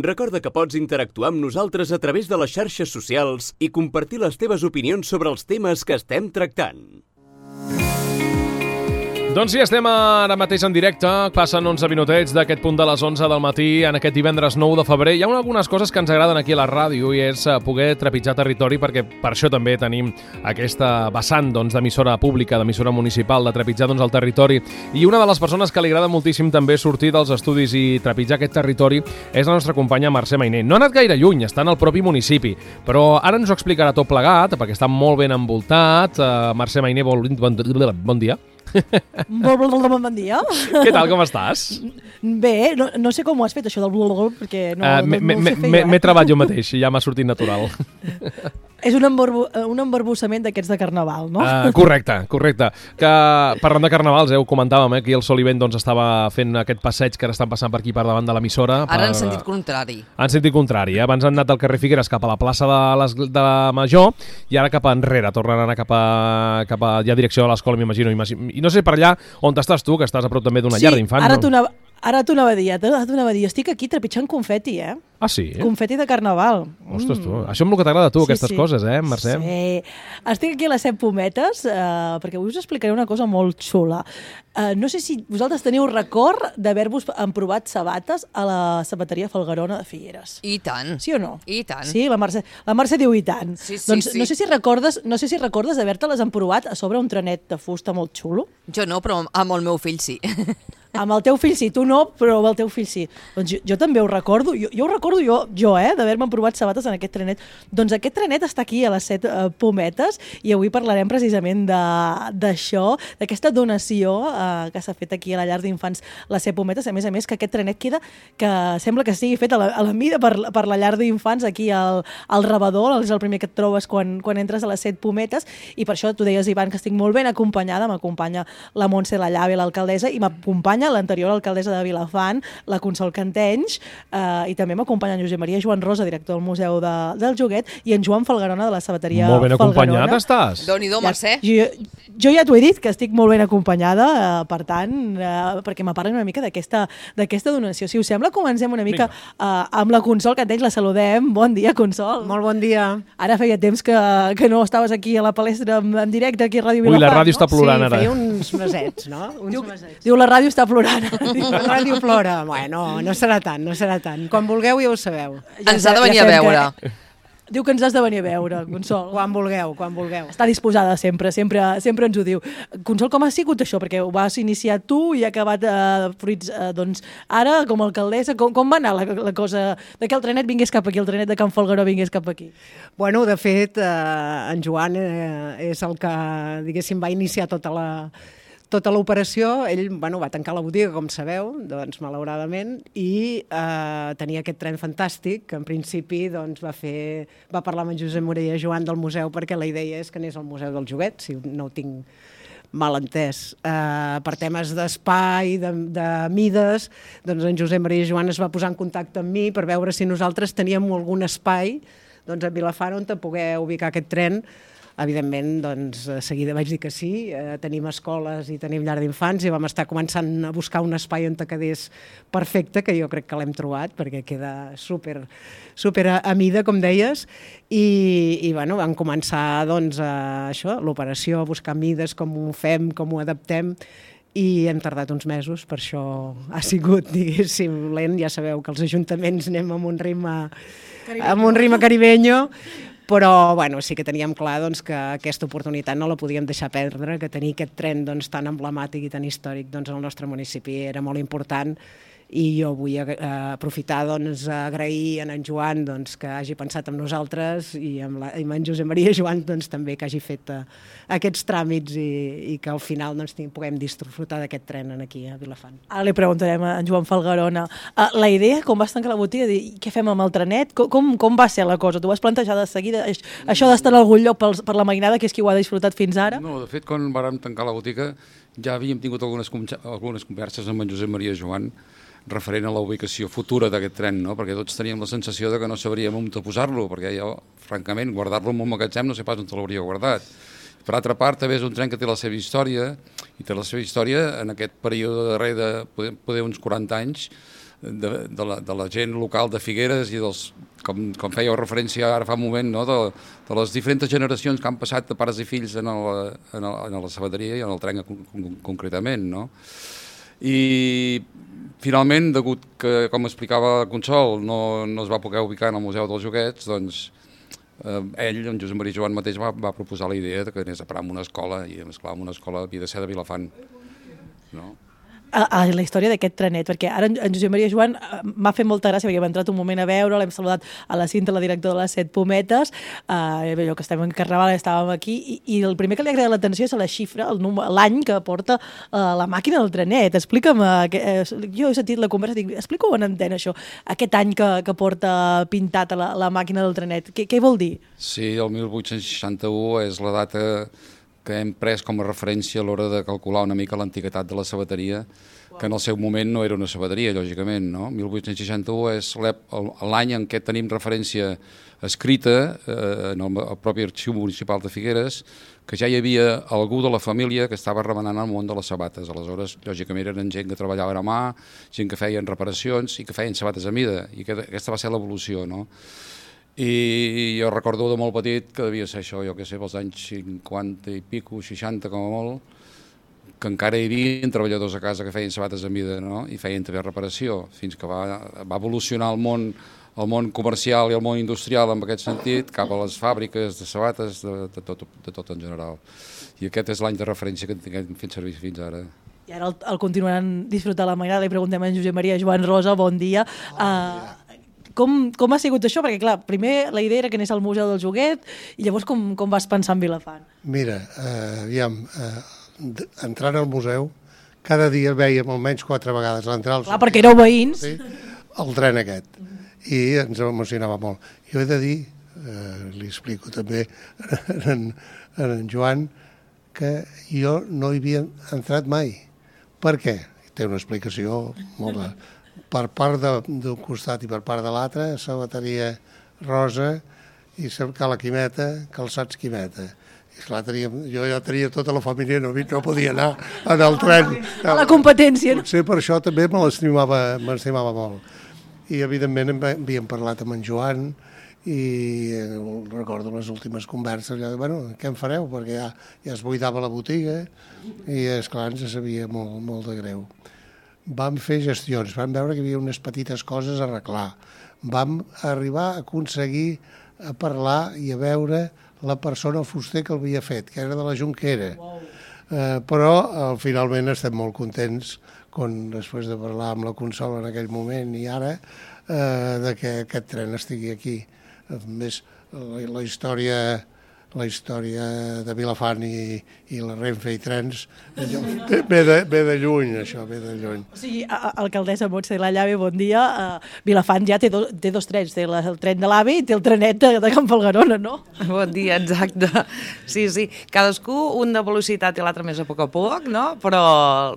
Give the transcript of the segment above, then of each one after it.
Recorda que pots interactuar amb nosaltres a través de les xarxes socials i compartir les teves opinions sobre els temes que estem tractant. Doncs sí, estem ara mateix en directe, passen 11 minutets d'aquest punt de les 11 del matí en aquest divendres 9 de febrer. Hi ha algunes coses que ens agraden aquí a la ràdio i és poder trepitjar territori, perquè per això també tenim aquesta vessant d'emissora pública, d'emissora municipal, de trepitjar el territori. I una de les persones que li agrada moltíssim també sortir dels estudis i trepitjar aquest territori és la nostra companya Mercè Mainer. No ha anat gaire lluny, està en el propi municipi, però ara ens ho explicarà tot plegat, perquè està molt ben envoltat. Mercè Mainer, bon dia. Bon dia. Què tal, com estàs? Bé, no sé com ho has fet, això del blablabla, perquè no ho sé fer jo. M'he treballat jo mateix i ja m'ha sortit natural. És un embarbussament d'aquests de carnaval, no? Correcte. Que parlant de carnavals, ho comentàvem, aquí el Sol i Vent estava fent aquest passeig que ara estan passant per aquí per davant de l'emissora. Ara en sentit contrari. En sentit contrari. Abans han anat del carrer Figueres cap a la plaça de Major i ara cap enrere. Tornen a anar cap a ja direcció a l'escola, m'imagino. I no sé per allà on estàs tu, que estàs a prop també d'una llar d'infants. Ara t'ho anava a dir. Estic aquí trepitjant confeti, Ah, sí? Confeti de carnaval. Ostres, tu. Això és el que t'agrada a tu, aquestes coses, Mercè? Sí. Estic aquí a les 7 Pometes perquè avui us explicaré una cosa molt xula. No sé si vosaltres teniu record d'haver-vos emprovat sabates a la sabateria Falgarona de Figueres. I tant. Sí o no? I tant. Sí, la Mercè diu i tant. Sí, doncs sí. No sé si recordes d'haver-te-les emprovat a sobre un trenet de fusta molt xulo. Jo no, però amb el meu fill sí. Amb el teu fill sí, tu no, però amb el teu fill sí. Doncs jo també ho recordo, jo ho recordo d'haver-me provat sabates en aquest trenet. Doncs aquest trenet està aquí a les 7 Pometes i avui parlarem precisament d'això, d'aquesta donació que s'ha fet aquí a la llar d'infants les 7 Pometes. A més, que aquest trenet queda, que sembla que sigui fet a la mida per la llar d'infants aquí al rebedor, és el primer que et trobes quan entres a les 7 Pometes, i per això tu deies, Ivan, que estic molt ben acompanyada, m'acompanya la Montse la Llave, l'alcaldessa, i m'acompanya l'anterior alcaldessa de Vilafant, la Consol Cantenys, i també m'acompanya en Josep Maria Joan Rosa, director del Museu del Joguet, i en Joan Falgarona de la sabateria Falgarona. Molt ben acompanyat estàs. Déu-n'hi-do, Mercè. Jo ja t'ho he dit, que estic molt ben acompanyada, per tant, perquè me parlen una mica d'aquesta donació. Si us sembla, comencem una mica amb la Consol Cantenys, la saludem. Bon dia, Consol. Molt bon dia. Ara feia temps que no estaves aquí a la palestra en directe, aquí a Ràdio Vilafant. Ui, la ràdio està plorant ara. Sí, feia uns mesets, no? Diu, la ràdio està plorant. La ràdio plora. Bueno, no serà tant. Quan vulgueu ja ho sabeu. Ens ha de venir a veure. Diu que ens has de venir a veure, Consol. Quan vulgueu. Està disposada sempre ens ho diu. Consol, com ha sigut això? Perquè ho vas iniciar tu i ha acabat fruits, doncs, ara, com a alcaldessa, com va anar la cosa de que el trenet vingués cap aquí, el trenet de Can Falgaró vingués cap aquí? Bueno, de fet, en Joan és el que, diguéssim, va iniciar tota l'operació. Ell va tancar la botiga, com sabeu, doncs, malauradament, i tenia aquest tren fantàstic, que en principi va parlar amb en Josep Maria Joan del museu, perquè la idea és que anés al Museu del Joguet, si no ho tinc mal entès. Per temes d'espai, de mides, doncs en Josep Maria Joan es va posar en contacte amb mi per veure si nosaltres teníem algun espai a Vilafant on poder ubicar aquest tren. Evidentment, doncs, de seguida vaig dir que sí. Tenim escoles i tenim llar d'infants i vam estar començant a buscar un espai on quedés perfecte, que jo crec que l'hem trobat, perquè queda super a mida, com deies, i vam començar l'operació, a buscar mides, com ho fem, com ho adaptem, i hem tardat uns mesos, per això ha sigut, diguéssim, lent. Ja sabeu que els ajuntaments anem amb un ritme caribeño, però sí que teníem clar que aquesta oportunitat no la podíem deixar perdre, que tenir aquest tren tan emblemàtic i tan històric al nostre municipi era molt important, i jo vull aprofitar agrair a en Joan que hagi pensat en nosaltres, i amb en Josep Maria Joan també que hagi fet aquests tràmits i que al final puguem disfrutar d'aquest tren aquí a Vilafant. Ara li preguntarem a en Joan Falgarona. La idea, com vas tancar la botiga, què fem amb el trenet? Com va ser la cosa? Tu vas plantejar de seguida això d'estar en algun lloc per la mainada, que és qui ho ha disfrutat fins ara? No, de fet, quan vàrem tancar la botiga ja havíem tingut algunes converses amb en Josep Maria Joan referent a la ubicació futura d'aquest tren, no? Perquè tots teníem la sensació que no sabríem on posar-lo, perquè jo, francament, guardar-lo en un magatzem no sé pas on l'hauria guardat. Per altra part, també és un tren que té la seva història, i té la seva història en aquest període darrer de poder uns 40 anys, de la gent local de Figueres i dels, com fèieu referència ara fa un moment, no? de les diferents generacions que han passat de pares i fills en la sabateria i en el tren concretament. No? I finalment, degut que, com explicava Consol, no es va poder ubicar en el Museu dels Joguets, doncs ell, en Josep Maria Joan mateix, va proposar la idea que anés a parar en una escola, i esclar, en una escola havia de ser de Vilafant. No? A la història d'aquest trenet, perquè ara en Josep Maria Joan m'ha fet molta gràcia perquè hem entrat un moment a veure, l'hem saludat a la Cinta, la directora de les 7 Pometes, allò que estem en Carnaval, estàvem aquí, i el primer que li ha agradat l'atenció és la xifra, l'any que porta la màquina del trenet. Explica'm, jo he sentit la conversa, dic, explica-ho en antena, això, aquest any que porta pintat la màquina del trenet, què vol dir? Sí, el 1861 és la data que hem pres com a referència a l'hora de calcular una mica l'antiguitat de la sabateria, que en el seu moment no era una sabateria, lògicament, no? 1861 és l'any en què tenim referència escrita en el propi Arxiu Municipal de Figueres, que ja hi havia algú de la família que estava remenant el món de les sabates. Aleshores, lògicament, eren gent que treballava a mà, gent que feien reparacions i que feien sabates a mida, i aquesta va ser l'evolució, no? I jo recordo de molt petit que devia ser això, jo què sé, pels anys 50 i pico, 60 com a molt, que encara hi havia treballadors a casa que feien sabates a mida, no? I feien també reparació, fins que va evolucionar el món comercial i el món industrial en aquest sentit, cap a les fàbriques de sabates, de tot en general. I aquest és l'any de referència que hem fet servir fins ara. I ara el continuaran disfrutant la Mainada. Li preguntem a en Josep Maria Joan Rosa, bon dia. Com ha sigut això? Perquè, clar, primer la idea era que anés al Museu del Joguet i llavors com vas pensar en Vilafant? Mira, aviam, entrant al museu, cada dia veiem almenys 4 vegades l'entrar. Clar, perquè éreu veïns. Sí, el tren aquest. I ens emocionava molt. Jo he de dir, li explico també a en Joan, que jo no hi havia entrat mai. Per què? Té una explicació molt... Per part d'un costat i per part de l'altre, sabateria rosa i Cala Quimeta, calçats Quimeta. I clar, jo ja tenia tota la família, no podia anar en el tren. A la competència. Potser per això també m'estimava molt. I evidentment havíem parlat amb en Joan i recordo les últimes converses, allò de, bueno, què en fareu? Perquè ja es buidava la botiga i, esclar, ens sabia molt de greu. Vam fer gestions, vam veure que hi havia unes petites coses a arreglar. Vam arribar a aconseguir a parlar i a veure la persona, el fuster que l'havia fet, que era de la Junquera. Però finalment estem molt contents, després de parlar amb la Consol en aquell moment i ara, de que aquest tren estigui aquí. A més, la història de Vilafant i la Renfe i trens ve de lluny, això, ve de lluny. O sigui, alcaldessa Montse de la Llave, bon dia. Vilafant ja té dos trens, té el tren de l'AVE i té el trenet de Can Falgarona, no? Bon dia, exacte. Sí, cadascú un de velocitat i l'altre més a poc, no? Però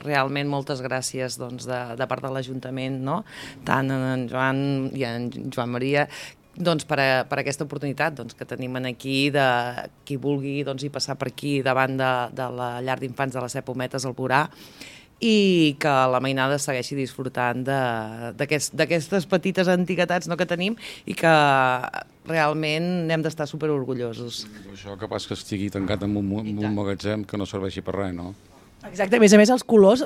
realment moltes gràcies doncs, de part de l'Ajuntament, no? Tant en Joan i en Joan Maria, doncs per aquesta oportunitat que tenim aquí de qui vulgui hi passar per aquí davant de la llar d'infants de les 7 Pometes al Borà i que la Mainada segueixi disfrutant d'aquestes petites antiguitats que tenim i que realment n'hem d'estar superorgullosos. Això que pas que estigui tancat en un magatzem que no serveixi per res, no? Exacte, a més els colors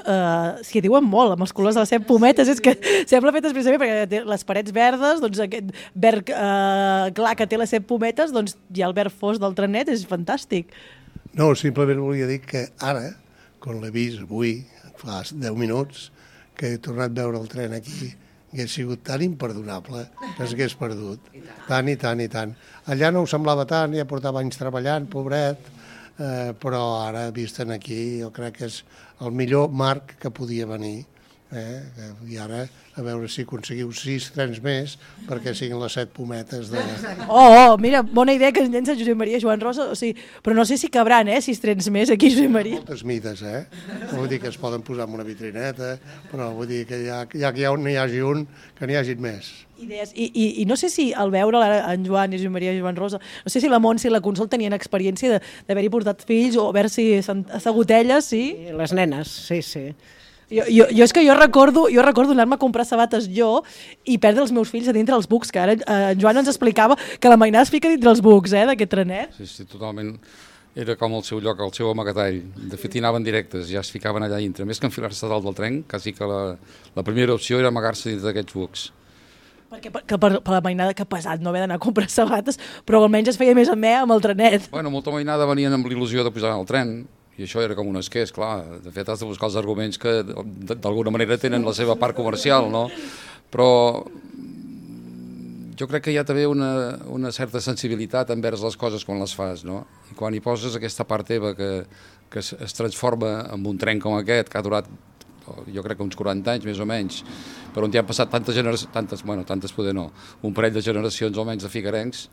s'hi diuen molt, amb els colors de les 7 Pometes, és que sembla fet expressament perquè té les parets verdes, doncs aquest verd clar que té les 7 Pometes, doncs hi ha el verd fosc del trenet, és fantàstic. No, simplement volia dir que ara, quan l'he vist avui, fa 10 minuts, que he tornat a veure el tren aquí, hagués sigut tan imperdonable que s'hagués perdut. Tant i tant i tant. Allà no ho semblava tant, ja portava anys treballant, pobret, però ara, vist aquí, jo crec que és el millor marc que podia venir. I ara, a veure si aconseguiu 6 trens més perquè siguin les 7 Pometes de... Mira, bona idea que ens llença Josep Maria Joan Rosa, però no sé si cabran, 6 trens més aquí, Josep Maria. Moltes mides, No vull dir que es poden posar en una vitrineta, però vull dir que ja que n'hi hagi un, que n'hi hagi més. Idees. I no sé si al veure en Joan i Josep Maria i Joan Rosa, no sé si la Montse i la Consol tenien experiència d'haver-hi portat fills o haver-s'hi assegut elles, sí? Les nenes, sí. Jo és que jo recordo anar-me a comprar sabates jo i perdre els meus fills a dintre els bucs, que ara en Joan ens explicava que la mainada es fica dintre els bucs, d'aquest trenet. Sí, totalment. Era com el seu lloc, el seu amagatall. De fet, hi anaven directes, ja es ficaven allà dintre. Més que enfilar-se dalt del tren, quasi que la primera opció era amagar-se dins d'aquests bucs. Perquè per la mainada, que pesat no haver d'anar a comprar sabates, però almenys es feia més amè amb el trenet. Bueno, molta mainada venien amb il·lusió de pujar al tren, i això era com un esqueix, clar. De fet, has de buscar els arguments que d'alguna manera tenen la seva part comercial, no? Però jo crec que hi ha també una certa sensibilitat envers les coses quan les fas, no? I quan hi poses aquesta part teva que es transforma en un tren com aquest, que ha durat, jo crec que uns 40 anys més o menys, per on hi han passat tantes poder no, un parell de generacions almenys de figuerencs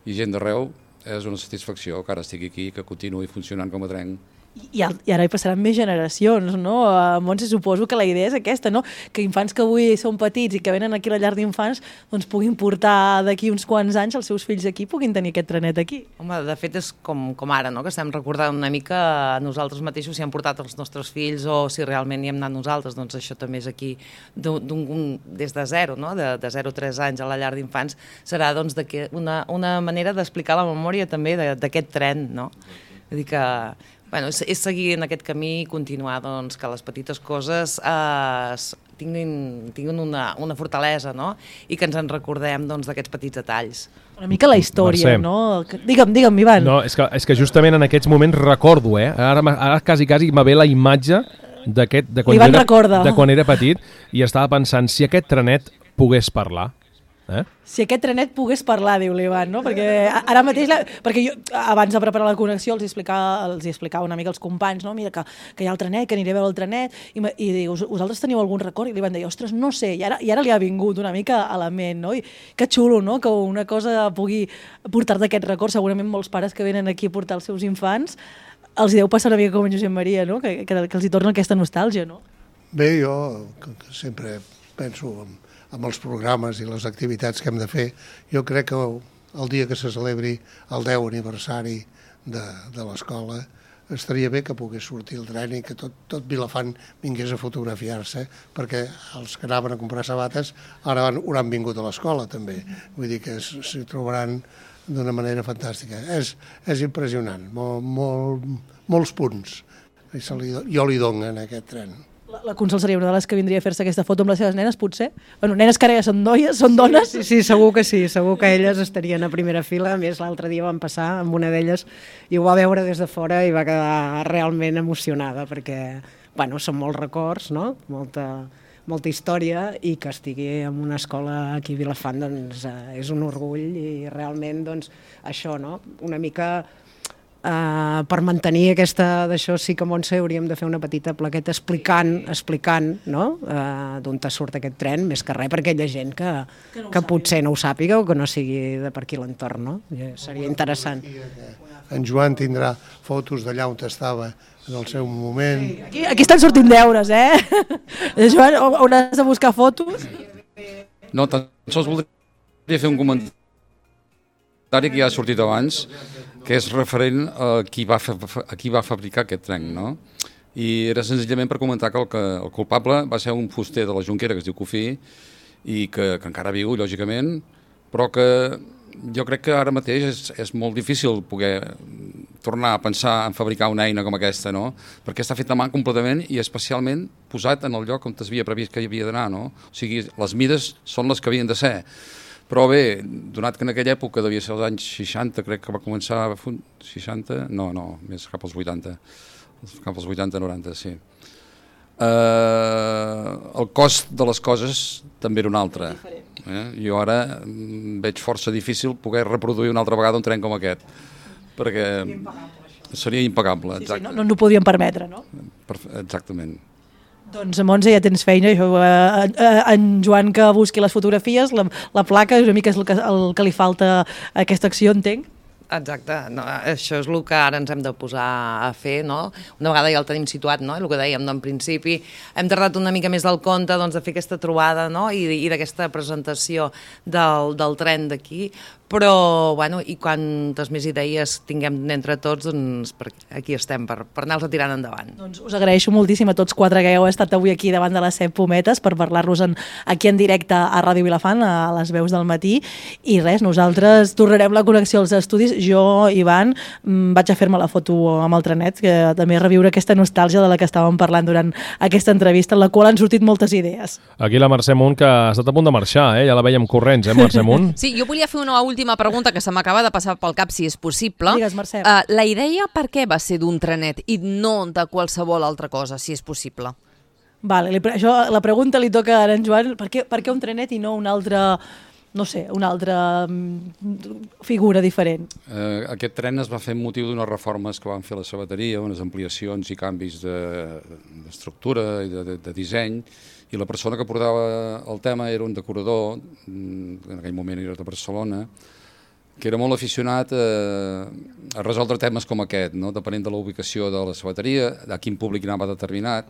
i gent d'arreu, és una satisfacció que ara estigui aquí, que continuï funcionant com a tren. I ara hi passaran més generacions, no? Montse, suposo que la idea és aquesta, no? Que infants que avui són petits i que venen aquí a la llar d'infants doncs puguin portar d'aquí uns quants anys els seus fills aquí, puguin tenir aquest trenet aquí. Home, de fet és com ara, no? Que estem recordant una mica nosaltres mateixos si hem portat els nostres fills o si realment hi hem anat nosaltres, doncs això també és aquí des de zero, no? De 0 a 3 anys a la llar d'infants serà doncs una manera d'explicar la memòria també d'aquest tren, no? Vull dir que bueno, és seguir en aquest camí i continuar doncs, que les petites coses tinguin una fortalesa, no? I que ens en recordem d'aquests petits detalls. Una mica la història, Mercè. no? Digue'm, Ivan. No, és que justament en aquests moments recordo, ara quasi me ve la imatge de quan era petit i estava pensant si aquest trenet pogués parlar. Si aquest trenet pogués parlar, diu l'Ivan, no? Perquè ara mateix, perquè jo abans de preparar la connexió els explicava una mica als companys, no? Mira, que hi ha el trenet, que aniré a veure el trenet, i diu, vosaltres teniu algun record? I l'Ivan deia, ostres, no sé, i ara li ha vingut una mica a la ment, no? I que xulo, no? Que una cosa pugui portar-te aquest record, segurament molts pares que venen aquí a portar els seus infants, els hi deu passar una mica com en Josep Maria, no? Que els hi torna aquesta nostàlgia, no? Bé, jo que sempre penso amb els programes i les activitats que hem de fer, jo crec que el dia que se celebri el 10 aniversari de l'escola estaria bé que pogués sortir el tren i que tot Vilafant vingués a fotografiar-se, perquè els que anaven a comprar sabates ara hauran vingut a l'escola també, vull dir que s'hi trobaran d'una manera fantàstica. És impressionant, molts punts jo li dono en aquest tren. La Consol seria una de les que vindria a fer-se aquesta foto amb les seves nenes, potser? Bueno, nenes que ara ja són dones. Sí, segur que sí, segur que elles estarien a primera fila. A més, l'altre dia vam passar amb una d'elles i ho va veure des de fora i va quedar realment emocionada perquè, bueno, són molts records, no? Molta història i que estigui en una escola aquí a Vilafant doncs, és un orgull i realment doncs, això, no? Una mica per mantenir d'això sí que Montse hauríem de fer una petita plaqueta explicant no? D'on surt aquest tren, més que res per aquella gent que potser no ho sàpiga o que no sigui de per aquí l'entorn, no? Seria interessant. En Joan tindrà fotos d'allà on estava en el seu moment. Aquí estan sortint deures, Joan, on has de buscar fotos? No, tan sols voldria fer un comentari que ja ha sortit abans, que és referent a qui va fabricar aquest tren, no? I era senzillament per comentar que el culpable va ser un fuster de la Jonquera que es diu Cofí i que encara viu, lògicament, però que jo crec que ara mateix és molt difícil poder tornar a pensar en fabricar una eina com aquesta, no? Perquè està fet a mà completament i especialment posat en el lloc on s'havia previst que hi havia d'anar, no? O sigui, les mides són les que havien de ser. Però bé, donat que en aquella època devia ser als anys 60, crec que va començar... 60? No, més cap als 80. Cap als 80-90, sí. El cost de les coses també era un altre. Jo ara veig força difícil poder reproduir una altra vegada un tren com aquest, perquè seria impagable. Sí, no ens ho podíem permetre, no? Exactament. Doncs, Montse, ja tens feina. En Joan que busqui les fotografies, la placa és una mica el que li falta a aquesta acció, entenc? Exacte, no, això és el que ara ens hem de posar a fer, no? Una vegada ja el tenim situat, no? El que dèiem, en principi hem tardat una mica més del compte doncs, de fer aquesta trobada, no? I d'aquesta presentació del tren d'aquí, però, bueno, i quantes més idees tinguem entre tots, doncs aquí estem per anar-los tirant endavant. Doncs us agraeixo moltíssim a tots quatre que heu estat avui aquí davant de les 7 pometes per parlar-nos aquí en directe a Ràdio Vilafant, a les veus del matí, i res, nosaltres tornarem la connexió als estudis. Jo, Ivan, vaig a fer-me la foto amb el trenet, que també reviure aquesta nostàlgia de la que estàvem parlant durant aquesta entrevista, en la qual han sortit moltes idees. Aquí la Mercè Munt, que ha estat a punt de marxar, ja la veiem corrents, Mercè Munt? Sí, jo volia fer una última pregunta que se m'acaba de passar pel cap, si és possible. Digues, Mercè. La idea per què va ser d'un trenet i no de qualsevol altra cosa, si és possible? Vale, la pregunta li toca a en Joan, per què un trenet i no un altre... no sé, una altra figura diferent. Aquest tren es va fer amb motiu d'unes reformes que van fer la sabateria, unes ampliacions i canvis d'estructura i de disseny, i la persona que portava el tema era un decorador, en aquell moment era de Barcelona, que era molt aficionat a resoldre temes com aquest, no? Depenent de la ubicació de la sabateria, a quin públic anava determinat.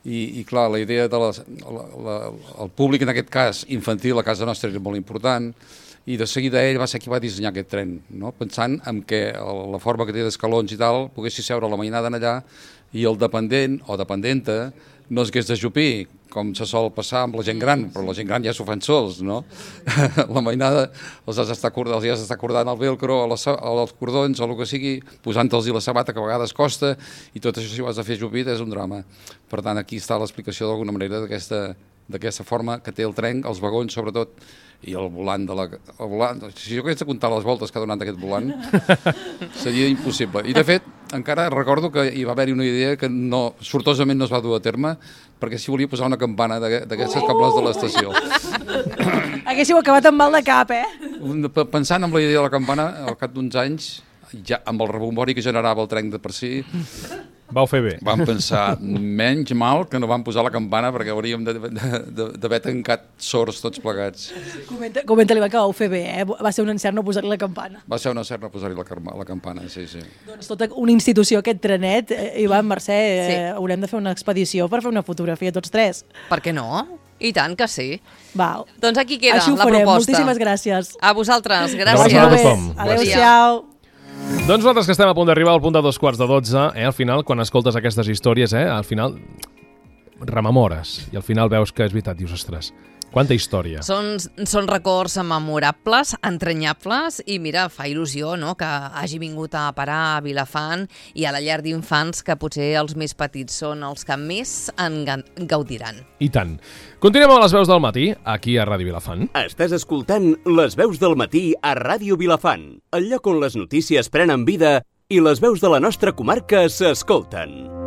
I clar, la idea el públic, en aquest cas infantil, a casa nostra era molt important, i de seguida ell va ser qui va dissenyar aquest tren, no? Pensant en que la forma que té d'escalons i tal poguessi seure la mainada allà i el dependent o dependenta no es hagués d'ajupir, com se sol passar amb la gent gran, però la gent gran ja s'ho fan sols, no? La mainada els has d'estar cordant el velcro o els cordons o el que sigui, posant-los la sabata, que a vegades costa, i tot això si ho has de fer ajupit és un drama. Per tant, aquí està l'explicació d'alguna manera d'aquesta forma que té el tren, els vagons sobretot, i el volant si jo hagués de comptar les voltes que ha donat aquest volant seria impossible. I de fet encara recordo que hi va haver-hi una idea que sortosament no es va dur a terme, perquè s'hi volia posar una campana d'aquestes cables de l'estació. Haguéssiu acabat amb mal de cap, Pensant en la idea de la campana, al cap d'uns anys, ja amb el rebombori que generava el tren de per si, vau fer bé. Vam pensar, menys mal que no vam posar la campana, perquè hauríem d'haver tancat sords tots plegats. Comenta-li que vau fer bé, Va ser un encert no posar-li la campana. Va ser un encert no posar-hi la campana, sí. Doncs tota una institució, aquest trenet, Ivan, Mercè, haurem de fer una expedició per fer una fotografia tots tres. Per què no? I tant que sí. Val. Doncs aquí queda la proposta. Moltíssimes gràcies. A vosaltres, gràcies. a tothom. Adéu-siau. Doncs nosaltres que estem a punt d'arribar al punt de 11:15, al final, quan escoltes aquestes històries, al final rememores i al final veus que és veritat, dius, ostres, quanta història. Són records memorables, entranyables, i mira, fa il·lusió, no?, que hagi vingut a parar a Vilafant i a la llar d'infants, que potser els més petits són els que més en gaudiran. I tant. Continuem a les veus del matí, aquí a Ràdio Vilafant. Estàs escoltant les veus del matí a Ràdio Vilafant, el lloc on les notícies prenen vida i les veus de la nostra comarca s'escolten.